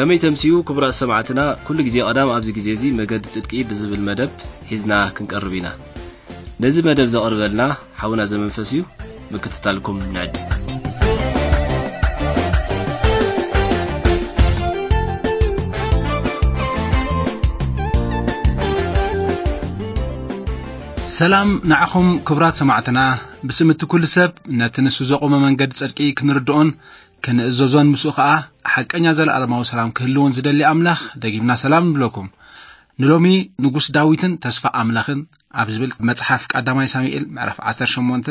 ከመይ ተምስዩ ክቡራት ሰማዕትና፣ ኩሉ ግዜ ቀዳም ኣብዚ ግዜ እዚ መገዲ ጽድቂ ብዝብል መደብ ሒዝና ክንቀርብ ኢና። ነዚ መደብ ዘቕርበልና ሓውና ዘመንፈስ እዩ። ምክትታልኩም ንዕድ። ሰላም ንዓኹም ክቡራት ሰማዕትና። ብስም እቲ ኩሉ ሰብ ነቲ ንሱ ዘቖመ መንገዲ ጽድቂ ክንርድኦን ክንእዘዞን ምስኡ ኸኣ ሓቀኛ ዘለኣለማዊ ሰላም ክህልዎን ዝደሊ ኣምላኽ ደጊምና ሰላም ንብለኩም። ንሎሚ ንጉስ ዳዊትን ተስፋ ኣምላኽን ኣብ ዝብል መጽሓፍ ቀዳማይ ሳሙኤል ምዕራፍ ዓሰርተ ሸሞንተ፣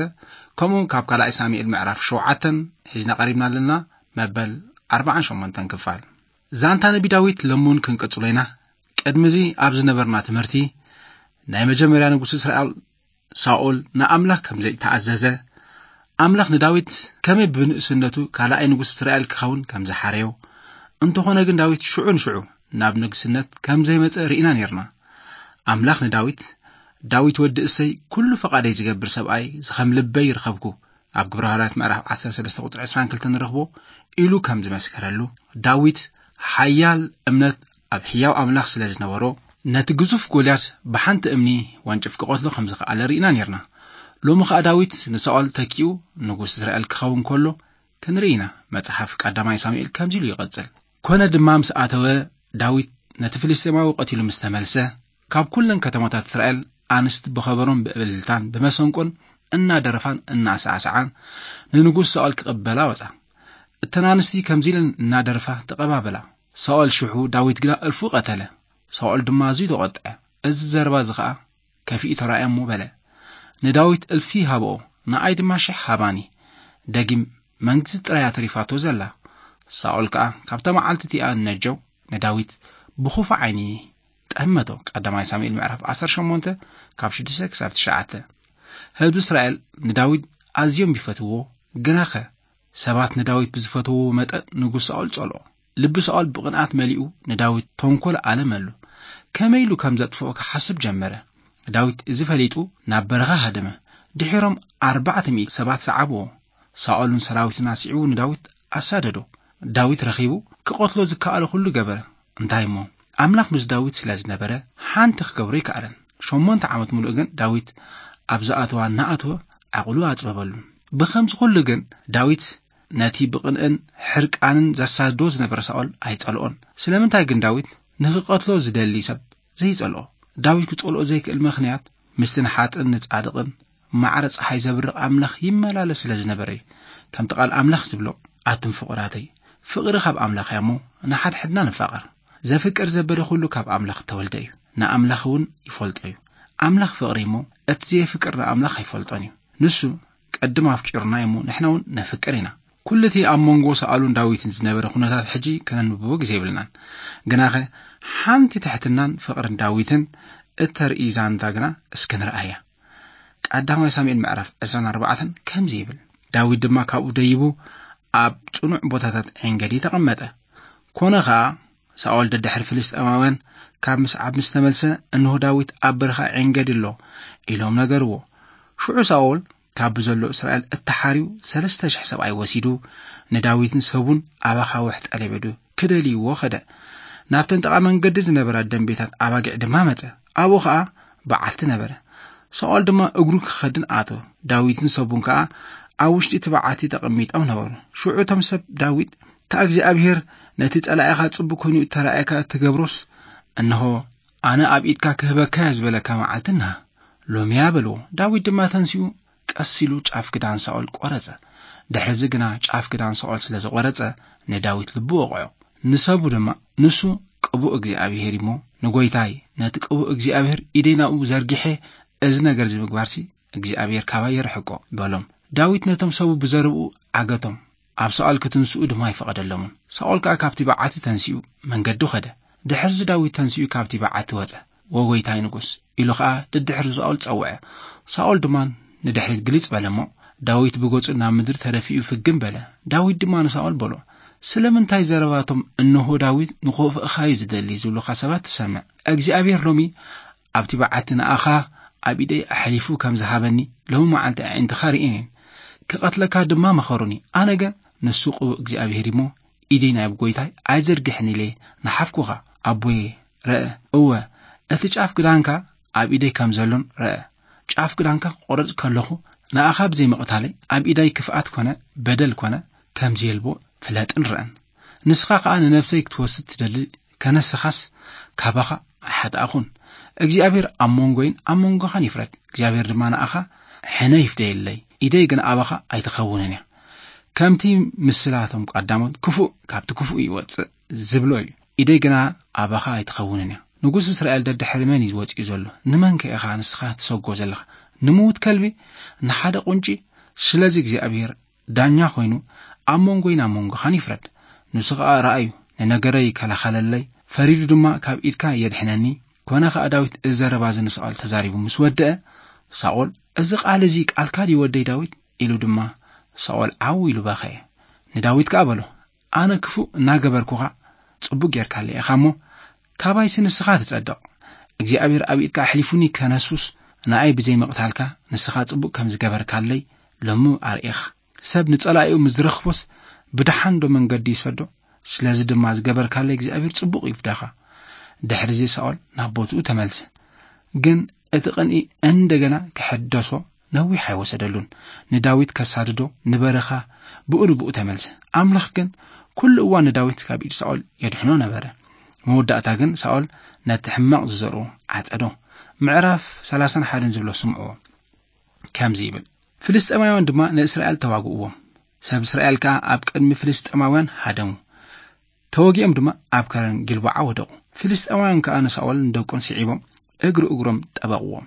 ከምኡ ካብ ካልኣይ ሳሙኤል ምዕራፍ ሸውዓተን ሒዝና ቀሪብና ኣለና። መበል ኣርባዓን ሸሞንተን ክፋል። ዛንታ ነቢ ዳዊት ለሙን ክንቅጽሎ ኢና። ቅድሚ እዚ ኣብ ዝነበርና ትምህርቲ ናይ መጀመርያ ንጉስ እስራኤል ሳኦል ንኣምላኽ ከም ዘይተኣዘዘ፣ ኣምላኽ ንዳዊት ከመይ ብንእስነቱ ካልኣይ ንጉስ እስራኤል ክኸውን ከም ዝሓረዮ፣ እንተኾነ ግን ዳዊት ሽዑ ንሽዑ ናብ ንግስነት ከም ዘይመጸ ርኢና ኔርና። ኣምላኽ ንዳዊት፣ "ዳዊት ወዲ እሰይ ኩሉ ፈቓደይ ዝገብር ሰብኣይ ዝኸም ልበይ ይረኸብኩ" ኣብ ግብረ ሃዋርያት ምዕራፍ ዓሰርተ ሰለስተ ቁጽሪ ዕስራን ክልተን ንረኽቦ ኢሉ ከም ዝመስከረሉ፣ ዳዊት ሓያል እምነት ኣብ ሕያው ኣምላኽ ስለ ዝነበሮ፣ ነቲ ግዙፍ ጎልያድ ብሓንቲ እምኒ ወንጭፍ ክቐትሎ ከም ዝኸኣለ ርኢና ኔርና። ሎሚ ኸኣ ዳዊት ንሳኦል ተኪኡ ንጉስ እስራኤል ክኸውን ከሎ ክንርኢ ኢና። መጽሓፍ ቀዳማይ ሳሙኤል ከምዚ ኢሉ ይቐጽል። "ኮነ ድማ ምስ ኣተወ፣ ዳዊት ነቲ ፍልስጤማዊ ቀቲሉ ምስ ተመልሰ፣ ካብ ኩለን ከተማታት እስራኤል ኣንስቲ ብኸበሮን ብእልልታን ብመሰንቆን እናደረፋን እናሳዕሳዓን ንንጉስ ሳኦል ክቕበላ ወጻ። እተን ኣንስቲ ከምዚ ኢለን እናደረፋ ተቐባበላ። ሳኦል ሽሑ፣ ዳዊት ግና እልፉ ቀተለ። ሳኦል ድማ ኣዝዩ ተቖጥዐ። እዚ ዘረባ እዚ ኸኣ ከፊኡ ተራእየ እሞ በለ፣ 'ንዳዊት እልፊ ሃብኦ፣ ንኣይ ድማ ሽሕ ሃባኒ። ደጊም መንግስቲ ጥራያ ተሪፋቶ ዘላ.' ሳኦል ከኣ ካብታ መዓልቲ እቲኣ ነጀው ንዳዊት ብኹፉ ዓይኒ ጠመቶ። ቀዳማይ ሳሙኤል ምዕራፍ ዓሰርተ ሸሞንተ ካብ ሽዱሽተ ክሳብ ትሽዓተ። ህዝቢ እስራኤል ንዳዊት ኣዝዮም ይፈትውዎ፣ ግናኸ ሰባት ንዳዊት ብዝፈትውዎ መጠን ንጉስ ሳኦል ጸልኦ። ልቢ ሳኦል ብቕንኣት መሊኡ ንዳዊት ተንኮል ኣለመሉ። ከመይ ኢሉ ከም ዘጥፍኦ ክሓስብ ጀመረ። ዳዊት እዚ ፈሊጡ ናብ በረኻ ሃደመ። ድሒሮም ኣርባዕተ ሚእቲ ሰባት ሰዓብዎ። ሳኦልን ሰራዊቱን ኣስዒቡ ንዳዊት ኣሳደዶ። ዳዊት ረኺቡ ክቐትሎ ዝከኣሎ ኩሉ ገበረ። እንታይ እሞ? ኣምላኽ ምስ ዳዊት ስለ ዝነበረ ሓንቲ ክገብሮ ኣይከኣለን። ሸሞንተ ዓመት ሙሉእ ግን ዳዊት ኣብ ዝኣተዋ እናኣተወ ዓቕሉ ኣጽበበሉ። ብኸምዚ ኩሉ ግን ዳዊት ነቲ ብቕንእን ሕርቃንን ዘሳድዶ ዝነበረ ሳኦል ኣይጸልኦን። ስለምንታይ ግን ዳዊት ንኽቐትሎ ዝደሊ ሰብ ዘይጸልኦ? ዳዊት ክጸልኦ ዘይክእል ምኽንያት ምስቲ ንሓጥእን ንጻድቕን ማዕረ ጸሓይ ዘብርቕ ኣምላኽ ይመላለስ ስለ ዝነበረ እዩ። ከምቲ ቃል ኣምላኽ ዝብሎ፣ "ኣቱም ፍቑራተይ፣ ፍቕሪ ካብ ኣምላኽ እያ እሞ ንሓድሕድና ንፋቐር። ዘፍቅር ዘበደ ኩሉ ካብ ኣምላኽ እተወልደ እዩ፣ ንኣምላኽ እውን ይፈልጦ እዩ። ኣምላኽ ፍቕሪ እሞ እቲ ዘየፍቅር ንኣምላኽ ኣይፈልጦን እዩ። ንሱ ቅድም ኣፍቂሩና እዩ እሞ ንሕና እውን ነፍቅር ኢና።" ኩሉ እቲ ኣብ መንጎ ሳኦልን ዳዊትን ዝነበረ ኩነታት ሕጂ ከነንብቦ ግዜ የብልናን። ግናኸ ሓንቲ ትሕትናን ፍቕርን ዳዊትን እተርኢ ዛንታ ግና እስኪ ንርኣያ። ቀዳማይ ሳሙኤል ምዕራፍ ዕስራን ኣርባዕተን ከምዚ ይብል፣ "ዳዊት ድማ ካብኡ ደይቡ ኣብ ጽኑዕ ቦታታት ዔንገዲ ተቐመጠ። ኮነ ኸኣ ሳኦል ደድሕሪ ፍልስጤማውያን ካብ ምስዓብ ምስ ተመልሰ፣ እንሆ ዳዊት ኣብ በረኻ ዔንገዲ ኣሎ" ኢሎም ነገርዎ። ሽዑ ሳኦል ካብ ብዘሎ እስራኤል እተሓርዩ ሰለስተ ሽሕ ሰብኣይ ወሲዱ፣ ንዳዊትን ሰቡን ኣብ ኣኻውሕ ጠለቤዱ ክደልይዎ ኸደ። ናብተን ጥቓ መንገዲ ዝነበራ ደንቤታት ኣባጊዕ ድማ መጸ። ኣብኡ ኸኣ በዓቲ ነበረ። ሳኦል ድማ እግሩ ክኸድን ኣተወ። ዳዊትን ሰቡን ከኣ ኣብ ውሽጢ እቲ በዓቲ ተቐሚጦም ነበሩ። ሽዑ እቶም ሰብ ዳዊት፣ "እታ እግዚኣብሄር ነቲ ጸላኢኻ ጽቡቕ ኮይኑ እተራእየካ እትገብሮስ፣ እንሆ፣ ኣነ ኣብ ኢድካ ክህበካ እየ ዝበለካ መዓልቲ እንሃ፣ ሎሚ እያ" በልዎ። ዳዊት ድማ ተንሲኡ ቀስ ኢሉ ጫፍ ክዳን ሳኦል ቆረጸ። ድሕርዚ ግና ጫፍ ክዳን ሳኦል ስለ ዝቆረጸ ንዳዊት ልቡ ወቕዖ። ንሰቡ ድማ፣ "ንሱ ቅቡእ እግዚኣብሄር እሞ፣ ንጎይታይ ነቲ ቅቡእ እግዚኣብሄር ኢደይ ናብኡ ዘርጊሐ እዚ ነገር እዚ ምግባርሲ እግዚኣብሄር ካባይ የርሕቆ" በሎም። ዳዊት ነቶም ሰቡ ብዘረብኡ ዓገቶም፣ ኣብ ሳኦል ክትንስኡ ድማ ኣይፈቐደሎምን። ሳኦል ከኣ ካብቲ በዓቲ ተንሲኡ መንገዱ ኸደ። ድሕርዚ ዳዊት ተንሲኡ ካብቲ በዓቲ ወጸ። "ወጎይታይ ንጉስ" ኢሉ ኸኣ ደድሕሪ ሳኦል ጸውዐ። ሳኦል ድማ ንድሕሪት ግልጽ በለ እሞ፣ ዳዊት ብገጹ ናብ ምድሪ ተደፊኡ ፍግም በለ። ዳዊት ድማ ንሳኦል በሎ፣ "ስለምንታይ ዘረባቶም 'እንሆ ዳዊት ንኸፍእኻ እዩ ዝደሊ' ዝብሉኻ ሰባት ትሰምዕ? እግዚኣብሄር ሎሚ ኣብቲ በዓቲ ንኣኻ ኣብ ኢደይ ኣሕሊፉ ከም ዝሃበኒ ሎሚ መዓልቲ ኣዒንትኻ ርእየን እየን። ክቐትለካ ድማ መኸሩኒ። ኣነ ግን ንሱ ቅቡእ እግዚኣብሄር እሞ ኢደይ ናብ ጎይታይ ኣይዘርግሕን ኢለ ንሓፍኩኻ። ኣቦየ፣ ረአ፣ እወ፣ እቲ ጫፍ ክዳንካ ኣብ ኢደይ ከም ዘሎን ረአ። ጫፍ ክዳንካ ክቆርጽ ከለኹ ንኣኻ ብዘይ ምቕታለይ ኣብ ኢደይ ክፍኣት ኮነ በደል ኮነ ከም ዘየልቦ ፍለጥን ረአን። ንስኻ ከኣ ንነፍሰይ ክትወስድ ትደሊ ከነስኻስ ካባኻ ኣይሓጣእኹን። እግዚኣብሔር ኣብ መንጎይን ኣብ መንጎኻን ይፍረድ። እግዚኣብሔር ድማ ንኣኻ ሕነ ይፍደየለይ፣ ኢደይ ግን ኣባኻ ኣይትኸውንን እያ። ከምቲ ምስላቶም ቀዳሞት ክፉእ ካብቲ ክፉእ ይወጽእ ዝብሎ እዩ። ኢደይ ግና ኣባኻ ኣይትኸውንን እያ። ንጉስ እስራኤል ደድሕሪ መን እዩ ወጺኡ ዘሎ? ንመን ከ ኢኻ ንስኻ ትሰጎ ዘለኻ? ንምዉት ከልቢ፣ ንሓደ ቁንጪ? ስለዚ እግዚኣብሔር ዳኛ ኮይኑ ኣብ መንጎይን ኣብ መንጎኻን ይፍረድ። ንሱ ኸኣ ረኣዩ፣ ንነገረይ ይከላኸለለይ፣ ፈሪዱ ድማ ካብ ኢድካ የድሕነኒ። ኮነ ኸኣ ዳዊት እዚ ዘረባ እዚ ንሳኦል ተዛሪቡ ምስ ወደአ፣ ሳኦል፣ "እዚ ቃል እዚ ቃልካ ድዩ ወደይ ዳዊት?" ኢሉ ድማ ሳኦል ዓው ኢሉ በኸየ። ንዳዊት ከኣ በሎ፣ "ኣነ ክፉእ እናገበርኩኻ ጽቡቕ ጌርካለይ ኢኻ እሞ፣ ካባይሲ ንስኻ ትጸድቕ። እግዚኣብሔር ኣብ ኢድካ ኣሕሊፉኒ ከነሱስ ንኣይ ብዘይ ምቕታልካ ንስኻ ጽቡቕ ከም ዝገበርካለይ ሎሚ ኣርኢኻ። ሰብ ንጸላኢኡ ምስ ዝረኽቦስ ብደሓን ዶ መንገዲ ይሰዶ? ስለዚ ድማ ዝገበርካለይ እግዚኣብሔር ጽቡቕ ይፍደኻ።" ድሕሪዚ ሳኦል ናብ ቦትኡ ተመልሰ። ግን እቲ ቅንኢ እንደገና ክሕደሶ ነዊሕ ኣይወሰደሉን። ንዳዊት ከሳድዶ ንበረኻ ብኡ ንብኡ ተመልሰ። ኣምላኽ ግን ኩሉ እዋን ንዳዊት ካብ ኢድ ሳኦል የድሕኖ ነበረ። መወዳእታ ግን ሳኦል ነቲ ሕማቕ ዝዘርኡ ዓጸዶ። ምዕራፍ ሰላሳን ሓደን ዝብሎ ስምዕዎ። ከምዚ ይብል፣ ፍልስጤማውያን ድማ ንእስራኤል ተዋግእዎም። ሰብ እስራኤል ከኣ ኣብ ቅድሚ ፍልስጤማውያን ሃደሙ። ተወጊኦም ድማ ኣብ ከረን ጊልቦዓ ወደቑ። ፍልስጤማውያን ከኣ ንሳኦልን ንደቁን ስዒቦም እግሪ እግሮም ጠበቕዎም።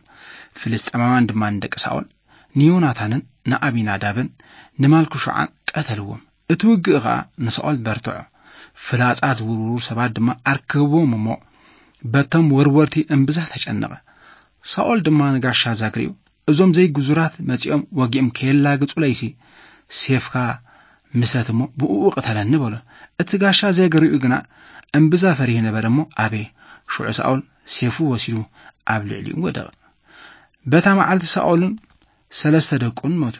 ፍልስጤማውያን ድማ ንደቂ ሳኦል፣ ንዮናታንን ንኣቢናዳብን ንማልክሹዓን ቀተልዎም። እቲ ውግእ ኸኣ ንሳኦል በርትዖ። ፍላጻ ዝውርውሩ ሰባት ድማ ኣርከብዎም እሞ፣ በቶም ወርወርቲ እምብዛ ተጨነቐ። ሳኦል ድማ ንጋሻ ዛግሪኡ፣ "እዞም ዘይግዙራት መጺኦም ወጊኦም ከየላግጹለይሲ፣ ሴፍካ ምሰት እሞ ብእኡ ቅተለኒ" በሎ። እቲ ጋሻ ዛግሪኡ ግና እምብዛ ፈሪሁ ነበረ እሞ፣ ኣበየ። ሽዑ ሳኦል ሴፉ ወሲዱ ኣብ ልዕሊኡ ወደቐ። በታ መዓልቲ ሳኦልን ሰለስተ ደቁን ሞቱ።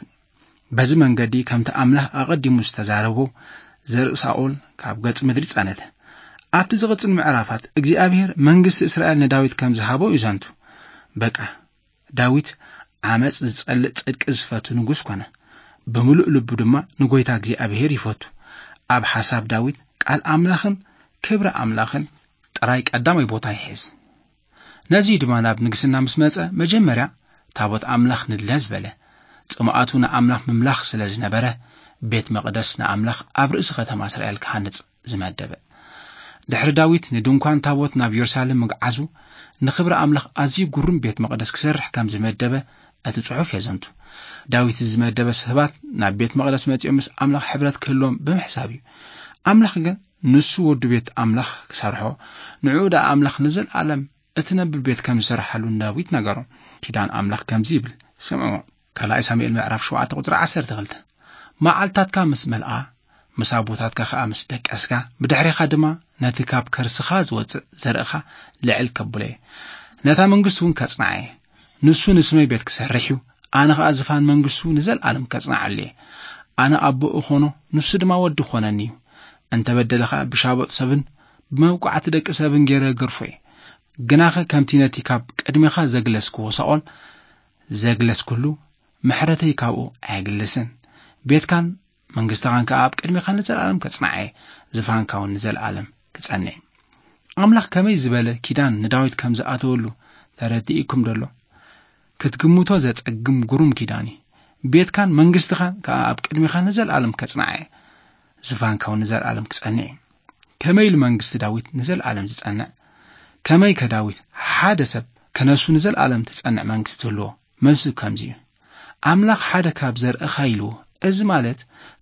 በዚ መንገዲ ከምቲ ኣምላኽ ኣቐዲሙ ዝተዛረቦ ዘርኢ ሳኦል ካብ ገጽ ምድሪ ጸነተ። ኣብቲ ዝቕጽል ምዕራፋት እግዚኣብሔር መንግስቲ እስራኤል ንዳዊት ከም ዝሃቦ እዩ ዘንቱ። በቃ፣ ዳዊት ዓመጽ ዝጸልእ ጽድቂ ዝፈቱ ንጉስ ኮነ። ብምሉእ ልቡ ድማ ንጎይታ እግዚኣብሔር ይፈቱ። ኣብ ሓሳብ ዳዊት ቃል ኣምላኽን ክብሪ ኣምላኽን ጥራይ ቀዳማይ ቦታ ይሕዝ። ነዚ ድማ ናብ ንግስና ምስ መጸ መጀመርያ ታቦት ኣምላኽ ንድለ ዝበለ። ጽምኣቱ ንኣምላኽ ምምላኽ ስለ ዝነበረ ቤት መቕደስ ንኣምላኽ ኣብ ርእሲ ከተማ እስራኤል ክሃንጽ ዝመደበ። ድሕሪ ዳዊት ንድንኳን ታቦት ናብ ኢየሩሳሌም ምግዓዙ ንኽብሪ ኣምላኽ ኣዝዩ ግሩም ቤት መቕደስ ክሰርሕ ከም ዝመደበ እቲ ጽሑፍ የዘንቱ። ዳዊት ዝመደበ ሰባት ናብ ቤት መቕደስ መጺኦም ምስ ኣምላኽ ሕብረት ክህልዎም ብምሕሳብ እዩ። ኣምላኽ ግን ንሱ ወዱ ቤት ኣምላኽ ክሰርሖ፣ ንዕኡ ደኣ ኣምላኽ ንዘለኣለም እትነብር ቤት ከም ዝሰርሓሉ ንዳዊት ነገሮ። ኪዳን ኣምላኽ ከምዚ ይብል፣ ስምዕዎ። ካልኣይ ሳሙኤል ምዕራፍ ሸውዓተ ቁጽሪ ዓሰርተ ክልተ። መዓልታትካ ምስ መልኣ፣ ምስ ኣቦታትካ ኸኣ ምስ ደቀስካ፣ ብድሕሬኻ ድማ ነቲ ካብ ከርስኻ ዝወጽእ ዘርእኻ ልዕል ከብሎ እየ። ነታ መንግስቲ እውን ከጽንዓ እየ። ንሱ ንስመይ ቤት ክሰርሕ እዩ፣ ኣነ ኸኣ ዝፋን መንግስቱ ንዘለኣለም ከጽንዓሉ እየ። ኣነ ኣቦ እኾኖ፣ ንሱ ድማ ወዲ ክኾነኒ እዩ። እንተ በደለ ኸኣ ብሻቦጥ ሰብን ብመውቃዕቲ ደቂ ሰብን ገይረ ገርፎ እየ። ግናኸ ከምቲ ነቲ ካብ ቅድሜኻ ዘግለስክዎ ሳኦል ዘግለስኩሉ፣ ምሕረተይ ካብኡ ኣየግልስን። ቤትካን መንግስትኻን ከኣ ኣብ ቅድሜኻ ንዘለኣለም ከጽንዓ እየ፣ ዝፋንካ እውን ንዘለኣለም ክጸንዕ እዩ። ኣምላኽ ከመይ ዝበለ ኪዳን ንዳዊት ከም ዝኣተወሉ ተረዲእኩም ደሎ? ክትግምቶ ዘጸግም ግሩም ኪዳን እዩ። ቤትካን መንግስትኻን ከኣ ኣብ ቅድሜኻ ንዘለኣለም ከጽንዓ እየ፣ ዝፋንካ እውን ንዘለኣለም ክጸንዕ እዩ። ከመይ ኢሉ መንግስቲ ዳዊት ንዘለኣለም ዝጸንዕ? ከመይ ከ ዳዊት ሓደ ሰብ ከነሱ ንዘለኣለም ትጸንዕ መንግስቲ ትህልዎ? መልሱ ከምዚ እዩ። ኣምላኽ ሓደ ካብ ዘርእኻ ኢልዎ። እዚ ማለት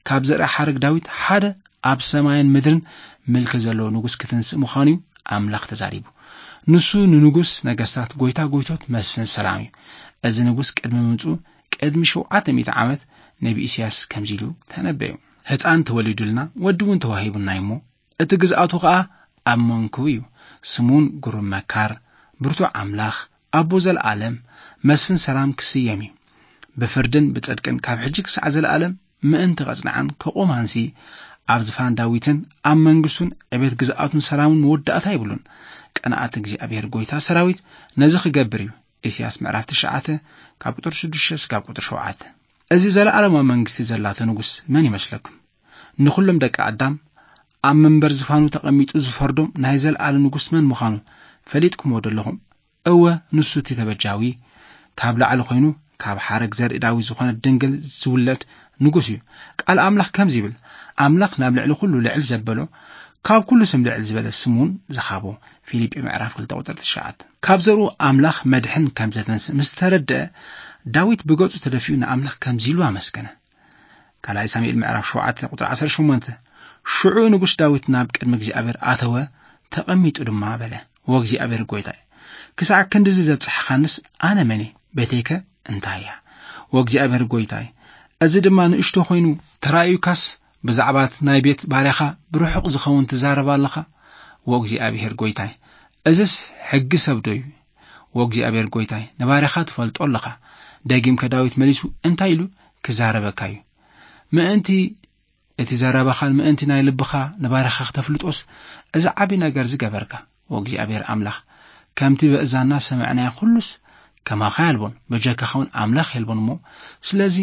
ካብ ዘርኢ ሓረግ ዳዊት ሓደ ኣብ ሰማይን ምድርን ምልኪ ዘለዎ ንጉስ ክትንስእ ምዃኑ እዩ ኣምላኽ ተዛሪቡ። ንሱ ንንጉስ ነገስታት፣ ጎይታ ጎይቶት፣ መስፍን ሰላም እዩ። እዚ ንጉስ ቅድሚ ምምጽኡ ቅድሚ ሸውዓተ ሚእቲ ዓመት ነቢ ኢሳያስ ከምዚ ኢሉ ተነበዩ። ህፃን ተወሊዱልና፣ ወዲ እውን ተዋሂቡና እዩ እሞ፣ እቲ ግዝኣቱ ኸኣ ኣብ መንኩቡ እዩ። ስሙ እውን ግሩም መካር፣ ብርቱዕ ኣምላኽ፣ ኣቦ ዘለኣለም፣ መስፍን ሰላም ክስየም እዩ። ብፍርድን ብጽድቅን ካብ ሕጂ ክሳዕ ዘለኣለም ምእንቲ ቐጽንዓን ከቑማንሲ ኣብ ዝፋን ዳዊትን ኣብ መንግስቱን ዕቤት ግዝኣቱን ሰላሙን መወዳእታ የብሉን። ቀንኣት እግዚኣብሔር ጎይታ ሰራዊት ነዚ ክገብር እዩ። ኢሳያስ ምዕራፍ ትሽዓተ ካብ ቁጥር ሽዱሽተ እስካብ ቁጥር ሸውዓተ። እዚ ዘለኣለማዊ መንግስቲ ዘላቶ ንጉስ መን ይመስለኩም? ንኹሎም ደቂ ኣዳም ኣብ መንበር ዝፋኑ ተቐሚጡ ዝፈርዶም ናይ ዘለኣለም ንጉስ መን ምዃኑ ፈሊጥኩምዎ ዶ ኣለኹም? እወ፣ ንሱ እቲ ተበጃዊ፣ ካብ ላዕሊ ኮይኑ ካብ ሓረግ ዘርኢ ዳዊት ዝኾነ ድንግል ዝውለድ ንጉስ እዩ። ቃል ኣምላኽ ከምዚ ይብል፣ ኣምላኽ ናብ ልዕሊ ኩሉ ልዕል ዘበሎ፣ ካብ ኩሉ ስም ልዕል ዝበለ ስም እውን ዝሃቦ። ፊልጲ ምዕራፍ ክልተ ቁጥር ትሽዓተ። ካብ ዘርኡ ኣምላኽ መድሕን ከም ዘተንስእ ምስ ተረድአ፣ ዳዊት ብገጹ ተደፊኡ ንኣምላኽ ከምዚ ኢሉ ኣመስገነ። ካልኣይ ሳሙኤል ምዕራፍ ሸውዓተ ቁጥሪ ዓሰርተ ሸሞንተ። ሽዑ ንጉስ ዳዊት ናብ ቅድሚ እግዚኣብሔር ኣተወ፣ ተቐሚጡ ድማ በለ፣ "ወእግዚኣብሔር ጎይታይ፣ ክሳዕ ክንድዚ ዘብጽሕኻንስ ኣነ መን እየ? ቤተይከ እንታይ እያ? ወእግዚኣብሔር ጎይታይ፣ እዚ ድማ ንእሽቶ ኮይኑ ተራእዩካስ፣ ብዛዕባ እቲ ናይ ቤት ባርያኻ ብርሑቕ ዝኸውን ትዛረብ ኣለኻ? ወእግዚኣብሔር ጎይታይ፣ እዝስ ሕጊ ሰብ ዶ እዩ? ወእግዚኣብሔር ጎይታይ፣ ንባርያኻ ትፈልጦ ኣለኻ።" ደጊምከ ዳዊት መሊሱ እንታይ ኢሉ ክዛረበካ እዩ? ምእንቲ እቲ ዘረባኻን ምእንቲ ናይ ልብኻ ንባርያኻ ክተፍልጦስ፣ እዚ ዓቢ ነገር ዝገበርካ፣ ወእግዚኣብሔር ኣምላኽ፣ ከምቲ በእዛንና ሰምዕናዮ ኩሉስ ከማኻ የልቦን፣ በጀካኻ እውን ኣምላኽ የልቦን እሞ፣ ስለዚ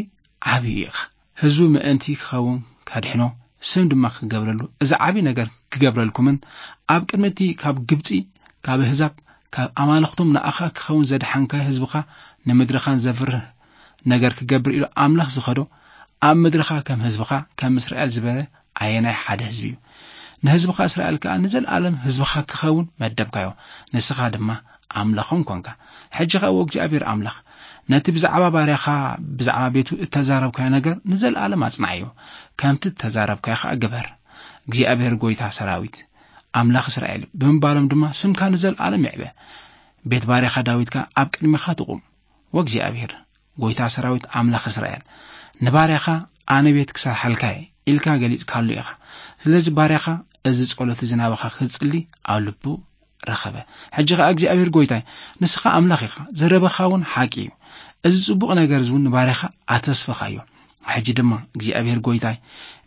ዓቢ ኢኻ። ህዝቡ ምእንቲ ክኸውን ከድሕኖ፣ ስም ድማ ክገብረሉ፣ እዚ ዓቢ ነገር ክገብረልኩምን ኣብ ቅድሚ እቲ ካብ ግብጺ፣ ካብ ኣህዛብ፣ ካብ ኣማልኽቶም ንኣኻ ክኸውን ዘድሓንካ ህዝብኻ ንምድርኻን ዘፍርህ ነገር ክገብር ኢሉ ኣምላኽ ዝኸዶ፣ ኣብ ምድርኻ ከም ህዝብኻ ከም እስራኤል ዝበለ ኣየናይ ሓደ ህዝቢ እዩ? ንህዝብኻ እስራኤል ከኣ ንዘለኣለም ህዝብኻ ክኸውን መደብካዮ። ንስኻ ድማ ኣምላኾም ኮንካ። ሕጂ ኸኣ ወእግዚኣብሔር ኣምላኽ፣ ነቲ ብዛዕባ ባርያኻ ብዛዕባ ቤቱ እተዛረብካዮ ነገር ንዘለኣለም ኣጽንዓዮ። ከምቲ እተዛረብካዮ ኸኣ ግበር። እግዚኣብሔር ጐይታ ሰራዊት፣ ኣምላኽ እስራኤል ብምባሎም ድማ ስምካ ንዘለኣለም ይዕበ። ቤት ባርያኻ ዳዊት ከኣ ኣብ ቅድሜኻ ትቑም። ወእግዚኣብሔር ጐይታ ሰራዊት ኣምላኽ እስራኤል፣ ንባርያኻ ኣነ ቤት ክሰርሓልካ እየ ኢልካ ገሊጽካሉ ኢኻ። ስለዚ ባርያኻ እዚ ጸሎት እዚ ናባኻ ክጽሊ ኣብ ልቡ ረኸበ። ሕጂ ኸኣ እግዚኣብሔር ጐይታይ፣ ንስኻ ኣምላኽ ኢኻ፣ ዘረባኻ እውን ሓቂ እዩ። እዚ ጽቡቕ ነገር እዚ እውን ንባርያኻ ኣተስፈኻዮ። ሕጂ ድማ እግዚኣብሔር ጐይታይ፣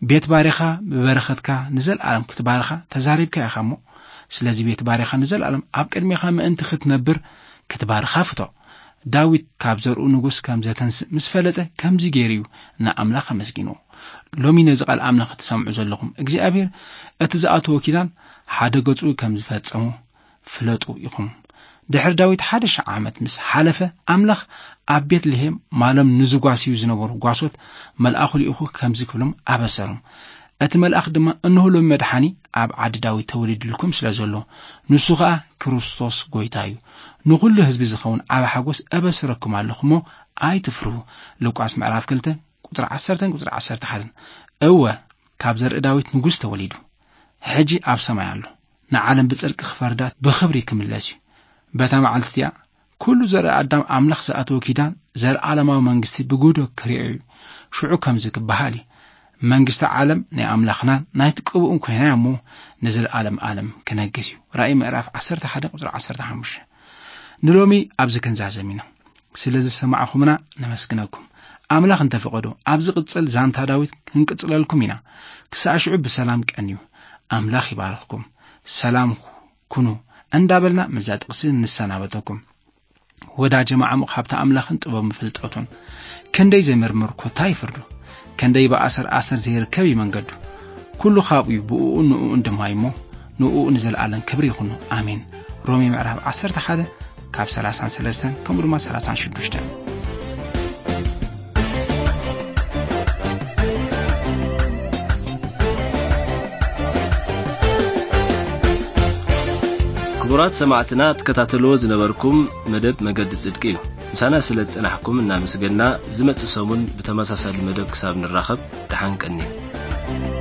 ቤት ባርያኻ ብበረኸትካ ንዘለኣለም ክትባርኻ ተዛሪብካ ኢኻ እሞ፣ ስለዚ ቤት ባርያኻ ንዘለኣለም ኣብ ቅድሜኻ ምእንቲ ክትነብር ክትባርኻ ፍቶ። ዳዊት ካብ ዘርኡ ንጉስ ከም ዘተንስእ ምስ ፈለጠ፣ ከምዚ ገይሩ እዩ ንኣምላኽ ኣመስጊንዎ። ሎሚ ነዚ ቃል ኣምላኽ እትሰምዑ ዘለኹም፣ እግዚኣብሔር እቲ ዝኣተዎ ኪዳን ሓደ ገጹ ከም ዝፈጸሞ ፍለጡ ኢኹም። ድሕሪ ዳዊት ሓደ ሽሕ ዓመት ምስ ሓለፈ፣ ኣምላኽ ኣብ ቤትልሄም ማሎም ንዝጓስዩ ዝነበሩ ጓሶት መልኣኹ ልኢኹ ከምዚ ክብሎም ኣበሰሮም። እቲ መልኣኽ ድማ፣ "እንሆ ሎሚ መድሓኒ ኣብ ዓዲ ዳዊት ተወሊዱልኩም ስለ ዘሎ፣ ንሱ ኸኣ ክርስቶስ ጐይታ እዩ። ንኹሉ ህዝቢ ዝኸውን ዓቢ ሓጎስ እበስረኩም ኣለኹ እሞ ኣይትፍርሁ።" ሉቃስ ምዕራፍ ክልተ ቁጽሪ ዓሰርተን ቁጽሪ ዓሰርተ ሓደን። እወ፣ ካብ ዘርኢ ዳዊት ንጉስ ተወሊዱ። ሕጂ ኣብ ሰማይ ኣሎ። ንዓለም ብጽድቂ ክፈርዳ ብኽብሪ ክምለስ እዩ። በታ መዓልቲ እቲኣ፣ ኩሉ ዘርኢ ኣዳም ኣምላኽ ዝኣተወ ኪዳን፣ ዘለኣለማዊ መንግስቲ ብጉህዶ ክርእዮ እዩ። ሽዑ ከምዚ ክበሃል እዩ፣ "መንግስቲ ዓለም ናይ ኣምላኽናን ናይቲ ቅብኡን ኮይና እያ እሞ፣ ንዘለኣለም ኣለም ክነግስ እዩ።" ራእይ ምዕራፍ ዓሰርተ ሓደ ቁጽሪ ዓሰርተ ሓሙሽተ። ንሎሚ ኣብዚ ክንዛዘም ኢና። ስለ ዝሰማዕኹምና ነመስግነኩም። ኣምላኽ እንተፈቐዶ፣ ኣብ ዝቕጽል ዛንታ ዳዊት ክንቅጽለልኩም ኢና። ክሳዕ ሽዑ ብሰላም ቀንዩ። ኣምላኽ ይባርኽኩም። ሰላም ኩኑ እንዳበልና ምስዛ ጥቕሲ ንሰናበተኩም። ወዳጀ መዓሙቕ ሃብቲ ኣምላኽን ጥበብን ፍልጠቱን፣ ክንደይ ዘይምርምር ኮታ ይፍርዱ፣ ክንደይ ብኣሰር ኣሰር ዘይርከብ እዩ መንገዱ። ኩሉ ካብኡ እዩ፣ ብእኡን ንእኡን ድማ እዩ እሞ፣ ንእኡ ንዘለኣለም ክብሪ ይኹኖ። ኣሜን። ሮሜ ምዕራፍ ዓሰርተ ሓደ ካብ ሰላሳን ሰለስተን ከምኡ ድማ ሰላሳን ሽዱሽተን። ክቡራት ሰማዕትና፣ ትከታተልዎ ዝነበርኩም መደብ መገዲ ጽድቂ እዩ። ምሳና ስለ ዝጸናሕኩም እናመስገና፣ ዝመጽእ ሰሙን ብተመሳሳሊ መደብ ክሳብ ንራኸብ፣ ደሓን ቀንዩ።